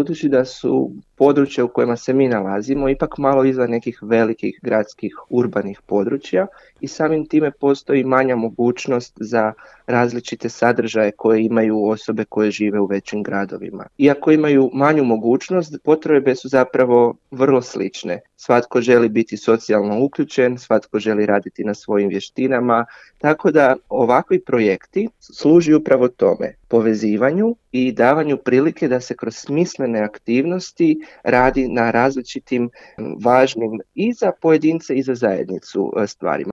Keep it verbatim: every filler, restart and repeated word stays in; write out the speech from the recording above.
budući da su područja u kojima se mi nalazimo ipak malo izvan nekih velikih gradskih urbanih područja i samim time postoji manja mogućnost za različite sadržaje koje imaju osobe koje žive u većim gradovima. Iako imaju manju mogućnost, potrebe su zapravo vrlo slične. Svatko želi biti socijalno uključen, svatko želi raditi na svojim vještinama, tako da ovakvi projekti služi upravo tome, povezivanju i davanju prilike da se kroz smislene aktivnosti radi na različitim važnim i za pojedince i za zajednicu stvarima.